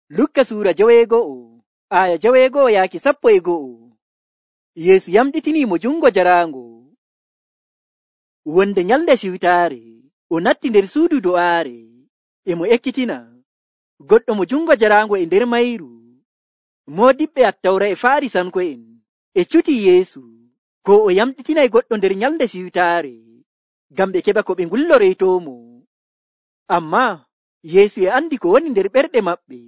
Lukka suura 9 aya 9 yaaki 11. Yeesu yamɗitini mo jungo jaraango. Wonde nyalde siwtaare o natti nder suudu do'aare e mo ekkitina goɗɗo mo jungo jaraango e nder mayru. Moodiɓɓe Attawra e Faarisanko'en e cuti Yeesu ko o yamɗitinay goɗɗo nder nyalde siwtaare ngam ɓe keɓa ko ɓe ngulloreytoomo. Ammaa Yeesu e andi ko woni nder ɓerɗe maɓɓe,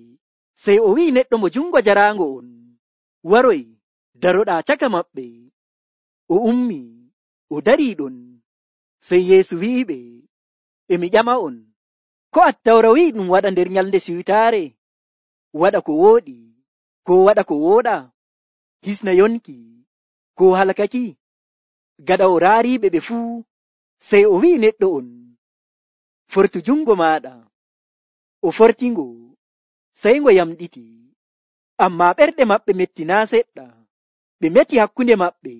sey o wi'i neɗɗo mo jungo jaraango on, waroy daroɗaa caka maɓɓe. O ummi o darii ɗon. Sey Yeesu wi'iɓe, e mi ƴama'on, ko Attawra wi'i ɗum waɗa nder nyalde siwtaare? Waɗa ko wooɗi, ko waɗa ko wooɗa? Hisna yonki, ko halkaki? Gaɗa o raariiɓe ɓe fuu, sey o wi'i neɗɗo on, fortu jungo maaɗa. O fortingo, sey ngo yamɗiti. Ammaa ɓerɗe maɓɓe metti naa seɗɗa. Ɓe meti hakkunde maɓɓe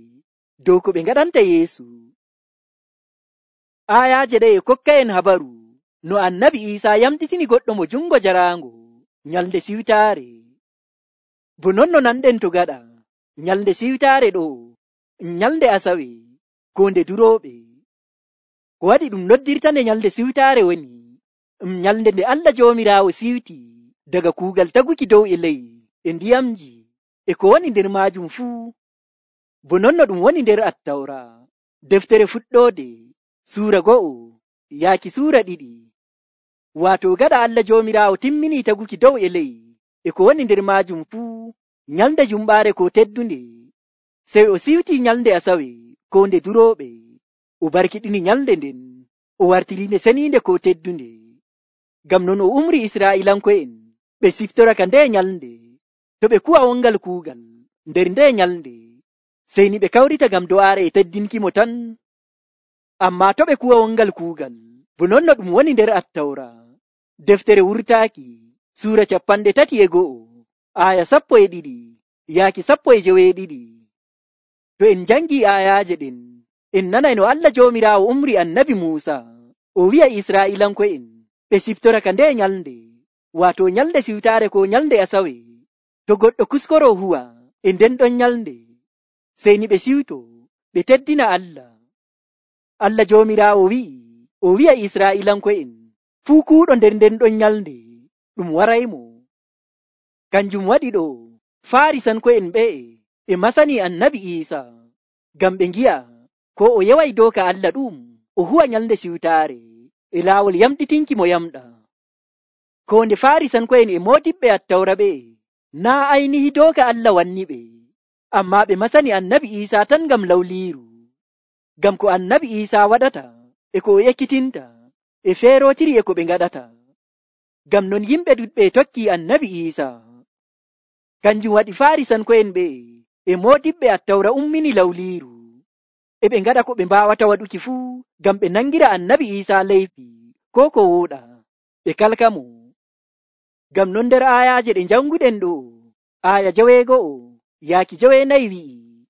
dow ko ɓe ngaɗanta Yeesu. Ayaaje ɗe e kokka'en habaru no Annabi Iisaa yamɗitini goɗɗo mo jungo jaraango nyalde siwtaare. Bo non no nanɗen to gaɗa nyalde siwtaare ɗo nyalde Asawe ko nde durooɓe. Ko waɗi ɗum noddirta nde nyalde siwtaare woni nyalde nde Allah Joomiraawo siwti daga kuugal taguki dow e ley e ndiyamji e ko woni nder maajum fuu. Bo non no ɗum woni nder Attawra, deftere fuɗɗoode suura 1 yaaki suura 2. Waato gaɗa Allah Joomiraawo timminii taguki dow e ley e ko woni nder maajum fuu nyalde jumɓaare ko teddunde, sey o siwtii nyalde Asawe ko nde durooɓe. O barkiɗini nyalde nden, o wartiri nde seniinde ko teddunde. Ngam non o umri Israa'iilanko'en ɓe siftoraka nde nyalde, to ɓe kuwa wongal kuugal nder nde nyalde, sey ni ɓe kawrita ngam do'aare e teddinkimo tan. Ammaa to ɓe kuwa wongal kuugal, bo non no ɗum woni nder Attawra, deftere wurtaaki suura 31 aya 12 yaaki 12. To en jangii ayaaje ɗen, en nanay no Allah Joomiraawo umri Annabi Muusa o wi'a Israa'iilanko'en ɓe siftoraka nde nyalde, waato nyalde siwtaare ko nyalde Asawe. To goɗɗo kuskoroo huwa e nden ɗon nyalde, sey ni ɓe siwto ɓe teddina Allah. Allah Joomiraawo o wi'a Israa'iilanko'en fuu kuuɗo nder nden ɗon nyalde ɗum waraymo. Kanjum waɗi ɗo Faarisanko'en ɓe'e e masani Annabi Iisaa ngam ɓe ngi'a ko o yeway dooka Allah ɗum o huwa nyalde siwtaare e laawol yamɗitinki mo yamɗa. Ko nde Faarisanko'en e moodiɓɓe Attawra ɓe'e naa aynihi dooka Allah wanni ɓe, ammaa ɓe masani Annabi Iisaa tan ngam lawliiru. Ngam ko Annabi Iisaa waɗata e ko o ekkitinta e feerootiri e ko ɓe ngaɗata. Ngam non yimɓe ɗuɗɓe tokkii Annabi Iisaa. Kanjum waɗi Faarisanko'en ɓe'e e moodiɓɓe Attawra ummini lawliiru, e ɓe ngaɗa ko ɓe mbaawata waɗuki fuu ngam ɓe nangira Annabi Iisaa leyfi ko ko wooɗa, ɓe kalka mo. Ngam non nder ayaaje ɗe janguɗen ɗo, aya 9 yaaki 9 wi'i,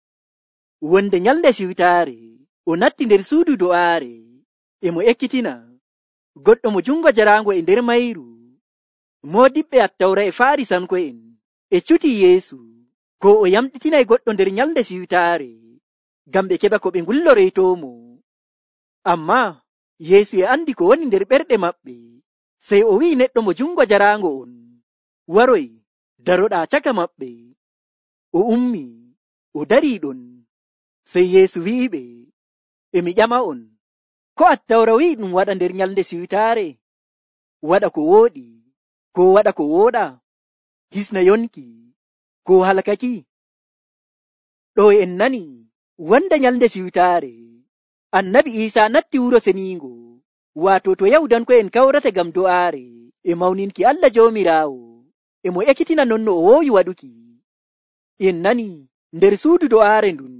wonde nyalde siwtaare o natti nder suudu do'aare e mo ekkitina goɗɗo mo jungo jaraango e nder mayru. Moodiɓɓe Attawra e Faarisanko'en e cuti Yeesu ko o yamɗitinay goɗɗo nder nyalde siwtaare ngam ɓe keɓa ko ɓe ngulloreytoomo. Ammaa Yeesu e andi ko woni nder ɓerɗe maɓɓe, sey o wi'i neɗɗo mo jungo jaraango on, waroy daroɗaa caka maɓɓe. O ummi o darii ɗon. Sey Yeesu wi'iɓe, e mi ƴama'on, ko Attawra wi'i ɗum waɗa nder nyalde siwtaare? Waɗa ko wooɗi, ko waɗa ko wooɗa? Hisna yonki, ko halkaki? Ɗo en nani wonde nyalde siwtaare Annabi Iisaa natti wuro seniingo, waato to Yahudanko'en kawrata ngam do'aare e mawninki Allah Joomiraawo e mo ekkitina non no o woowi waɗuki. En nani nder suudu do'aare ndun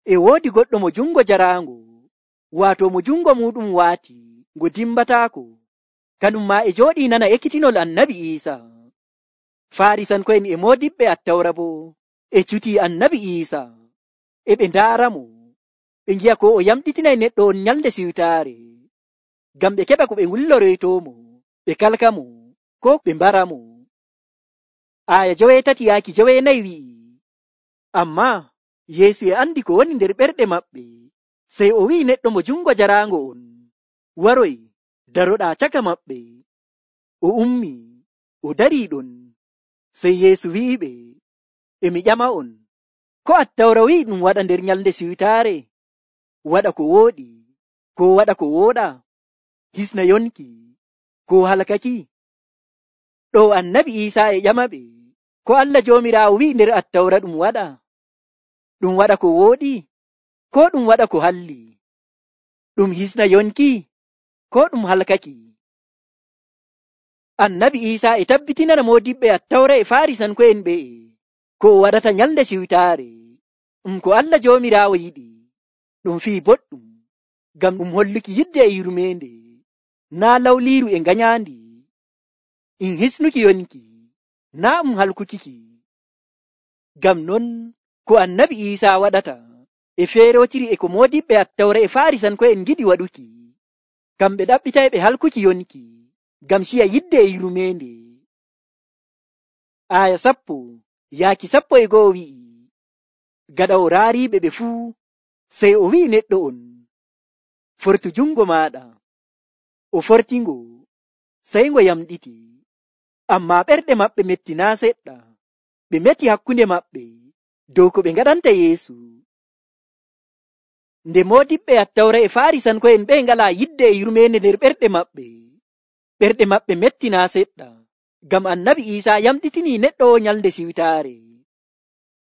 e woodi goɗɗo mo jungo jaraango, waato mo jungo muɗum waati ngo dimbataako, kanum maa e jooɗii nana ekkitinol Annabi Iisaa. Faarisanko'en e moodiɓɓe Attawra bo e cutii Annabi Iisaa, e ɓe ndaara mo, ɓe ngi'a ko o yamɗitinay neɗɗo on nyalde siwtaare, ngam ɓe keɓa ko ɓe ngulloreytoomo, ɓe kalka mo, ko ɓe mbara mo. aya 17 yaaki 19 wi'i, ammaa Yeesu e andi ko woni nder ɓerɗe maɓɓe, sey o wi'i neɗɗo mo jungo jaraango on, waroy daroɗaa caka maɓɓe. O ummi, o darii ɗon. Sey Yeesu wi'iɓe, e mi ƴama'on, ko Attawra wi'i ɗum waɗa nder nyalnde siwtaare? Waɗa ko wooɗi, ko waɗa ko wooɗa? Hisna yonki, ko halkaki? Ɗo Annabi Iisaa e ƴamaɓe, ko Allah Joomiraawo wi'i nder Attawra ɗum waɗa? Ɗum waɗa ko wooɗi, ko ɗum waɗa ko halli? Ɗum hisna yonki, ko ɗum halkaki? Annabi Iisaa e tabbitinana moodiɓɓe Attawra e Faarisanko'en ɓe'e ko o waɗata nyalnde siwtaare, ko Allah Joomiraawo yiɗi. Ɗum fii boɗɗum, ngam ɗum holluki yidde e yurmeende, naa lawliiru e ngañaandi, in hisnuki yonki, naa halkukiki. Ngam non ko Annabi Iisaa waɗata e feerotiri e ko moodiɓɓe Attawra e Faarisanko'en giɗi waɗuki. Kamɓe ɗaɓɓitay ɓe halkuki yonki, ngam ciya yidde e yurmeende. Aya 10 yaaki 11 wi'i, gaɗa o raariiɓe ɓe fuu, sey o wi'i neɗɗo on, fortu jungo maaɗa. O fortingo, sey ngo yamɗiti, ammaa ɓerɗe maɓɓe metti naa seɗɗa. Ɓe meti hakkunde maɓɓe dow ko ɓe ngaɗanta Yeesu. Nde moodiɓɓe Attawra e Faarisanko'en ɓe ngalaa yidde e yurmeende nder ɓerɗe maɓɓe metti naa seɗɗa, ngam Annabi Iisaa yamɗitinii neɗɗo o nyalnde siwtaare.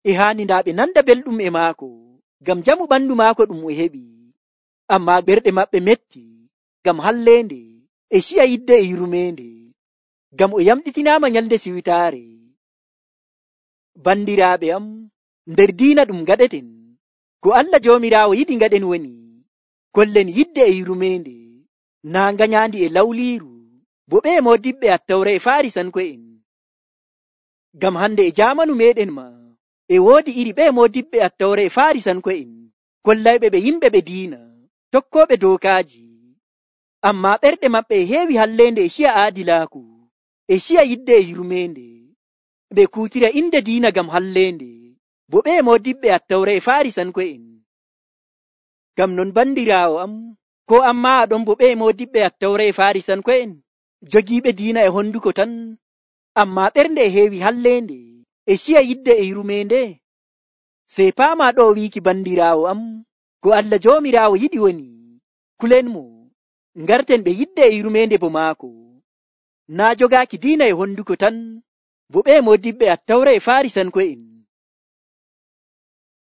E haani ndaa ɓe nanda belɗum e maako, ngam jamu ɓandu maako ɗum o heɓi. Ammaa ɓerɗe maɓɓe metti, ngam halleende e ciya yidde e yurmeende, ngam o yamɗitinaama nyalnde siwtaare. Bandiraaɓe am, nder diina ɗum ngaɗeten, ko Allah Joomiraawo yiɗi ngaɗen woni, kollen yidde e yurmeende, naa ngañaandi e lawliiru, bo ɓe moodiɓɓe Attawra e Faarisanko'en. Ngam hande e jaamanu meɗen ma, e woodi iri ɓe moodiɓɓe Attawra e Faarisanko'en, kollayɓe ɓe yimɓe ɓe diina, tokkooɓe dookaaji. Ammaa ɓerɗe maɓɓe e heewi halleende e ciya aadilaaku, e ciya yidde e yurmeende. Ɓe kuutira inde diina ngam halleende, bo ɓe moodiɓɓe Attawra e Faarisanko'en. Ngam non bandiraawo am, ko ammaa aɗon bo ɓe moodiɓɓe Attawra e Faarisanko'en, jogiiɓe diina e honduko tan, ammaa ɓernde e heewi halleende e ciya yidde e yurmeende. Sey paama ɗo wiiki bandiraawo am, ko Allah Joomiraawo yiɗi woni, kulen mo, ngarten ɓe yidde e yurmeende bo maako, naa jogaaki diina e honduko tan, bo ɓe moodiɓɓe Attawra e Faarisanko'en.